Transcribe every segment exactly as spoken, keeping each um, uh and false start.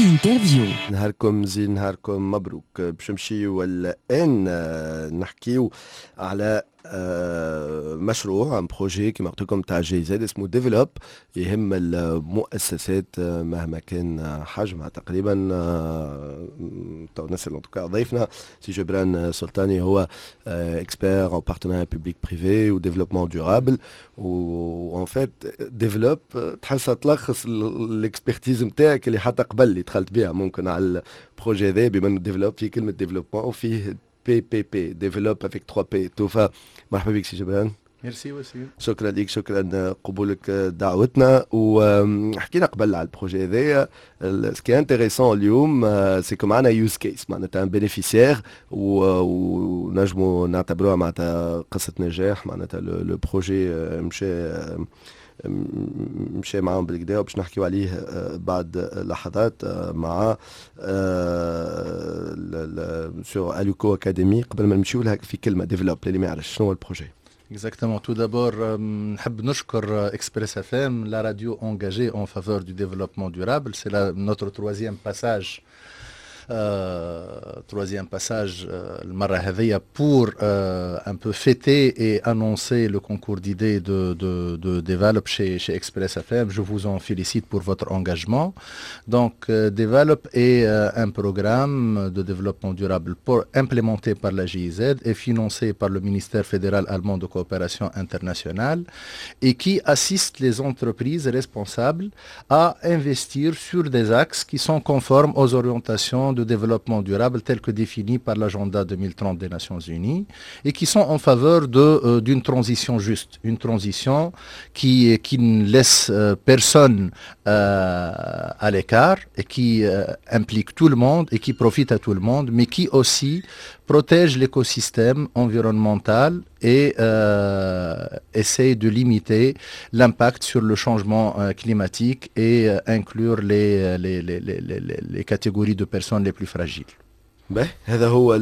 Interview. نهاركم زين، نهاركم مبروك. باش نمشيو الان نحكيو على آه، مشروع، un projet كما قلت لكم تاع GIZ اسمه Develop، يهم المؤسسات آه، مهما كان حجمها تقريبا. آه، تو نسال en tout cas ضيفنا سي جبران سلطاني، هو expert en partenariat public privé و développement durable. و en fait Develop تحسها تلخص l'expertise نتاعك اللي حتى قبل اللي دخلت بها ممكن على ال projet هذا، بما انه Develop فيه كلمة développement وفيه P P P، développe avec trois P. توفا مرحبا بك سي جبران. ميرسي وسيم. شكرا لك، شكرا قبولك دعوتنا. وحكينا قبل على ال projet هذايا. ce qui est intéressant اليوم c'est que معنا use case، معناتها un bénéficiaire، ونجموا نعتبروها معناتها قصة نجاح، معناتها le projet مشى مشى معاهم بالقدا، وباش نحكيو عليه بعد لحظات مع sur Aluco Academy. قبل ما نمشيو لها، في كلمه، Develop اللي ما يعرفش شنو هو ال projet؟ Exactement. Tout d'abord, نحب نشكر Express F M, la radio engagée en faveur du développement durable. C'est notre troisième passage euh, troisième passage المرة هذيا pour euh, un peu fêter et annoncer le concours d'idées de, de, de Develop chez, chez Express F M. Je vous en félicite pour votre engagement. Donc, euh, Develop est un programme de développement durable pour, implémenté par la G I Z et financé par le ministère fédéral allemand de coopération internationale et qui assiste les entreprises responsables à investir sur des axes qui sont conformes aux orientations de développement durable telles que définies par l'agenda deux mille trente des Nations Unies et qui sont en faveur euh, d'une transition juste, une transition qui, qui ne laisse euh, personne euh, à l'écart et qui implique tout le monde et qui profite à tout le monde, mais qui aussi protège l'écosystème environnemental et euh, essaye de limiter l'impact sur le changement euh, climatique et euh, inclure les, les, les, les, les catégories de personnes les plus fragiles. باهي، هذا هو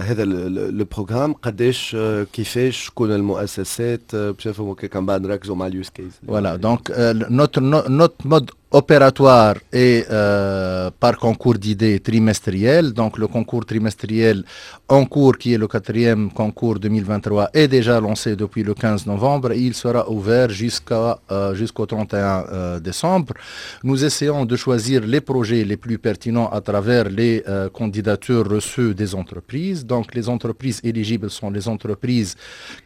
هذا le programme. قداش، كيفاش، شكون المؤسسات، باش نفهموا كان بعد نركزوا مع ال use case. Voilà, donc notre notre mode opératoire est euh, par concours d'idées trimestriel. Donc le concours trimestriel en cours, qui est le quatrième concours deux mille vingt-trois, est déjà lancé depuis le quinze novembre et il sera ouvert jusqu'à euh, jusqu'au trente et un euh, décembre. Nous essayons de choisir les projets les plus pertinents à travers les euh, candidatures reçues des entreprises. Donc les entreprises éligibles sont les entreprises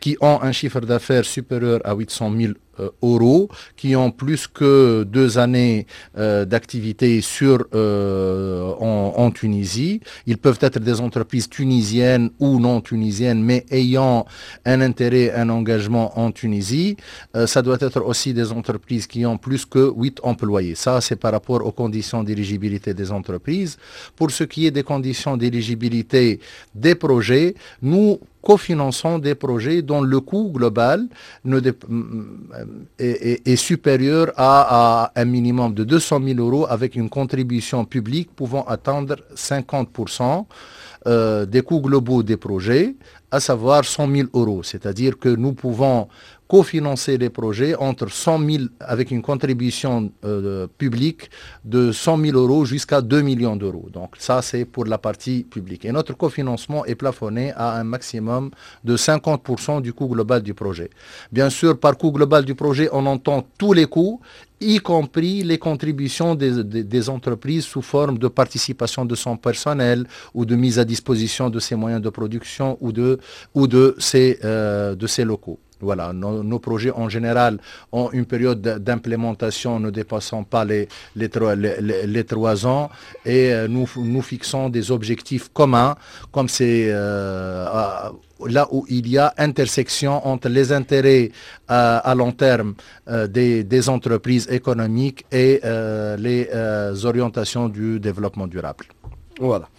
qui ont un chiffre d'affaires supérieur à huit cent mille euh, euros, qui ont plus que deux années euh, d'activité sur euh, en, en, Tunisie. Ils peuvent être des entreprises tunisiennes ou non tunisiennes, mais ayant un intérêt, un engagement en Tunisie. Ça doit être aussi des entreprises qui ont plus que huit employés. Ça, c'est par rapport aux conditions d'éligibilité des entreprises. Pour ce qui est des conditions d'éligibilité des projets, nous cofinançons des projets dont le coût global ne est, est, est, supérieur à, à, un minimum de deux cent mille euros avec une contribution publique pouvant atteindre cinquante pour cent euh, des coûts globaux des projets, à savoir cent mille euros. C'est-à-dire que nous pouvons cofinancer les projets entre cent mille avec une contribution euh, publique de cent mille euros jusqu'à deux millions d'euros. Donc ça, c'est pour la partie publique. Et notre cofinancement est plafonné à un maximum de cinquante pour cent du coût global du projet. Bien sûr, par coût global du projet, on entend tous les coûts, y compris les contributions des, des, des, entreprises sous forme de participation de son personnel ou de mise à disposition de ses moyens de production ou de, ou de, ses, euh, de ses locaux. Voilà, nos, nos, projets en général ont une période d'implémentation ne dépassant pas les, les, les, les, trois ans et euh, nous, nous fixons des objectifs communs, comme c'est euh, là où il y a intersection entre les intérêts euh, à long terme euh, des, des, entreprises économiques et euh, les orientations du développement durable. Voilà.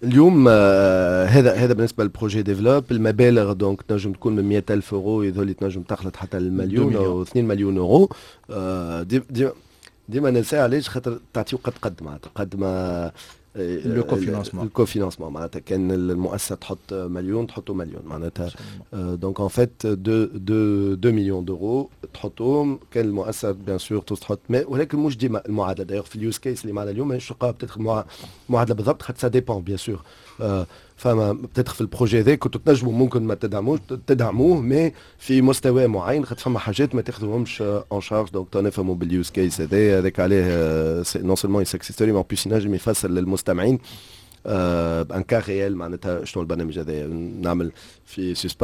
اليوم هذا هذا بالنسبة لل projet Develop. المبالغ donc تنجم تكون من مية ألف اورو، يظهر لي تنجم تخلط حتى المليون او اثنين مليون اورو. ديما ديما ننسى علاش، خاطر تعطيو قد قد معناتها قد ما le cofinancement. ال cofinancement، معناتها كان المؤسسة تحط مليون، تحطوا مليون معناتها. donc en fait deux deux deux millions d'euros تحطوهم، كان المؤسسة bien sûr تحط، ولكن مش ديما المعادله. d'ailleurs في ال use case اللي معنا اليوم ماهيش تلقاها peut-être معادلة بالضبط، خاطر ça dépend bien sûr. فما peut-être في ال projet هذا كنتوا تنجموا ممكن ما تدعموش، تدعموه mais في مستوى معين، خاطر فما حاجات ما تاخذوهمش en charge. donc نفهموا بال use case هذا، هذاك عليه non seulement success story، mais en plus ينجم يفسر للمستمعين un cas réel معناتها شنو البرنامج هذا. نعمل في suspense.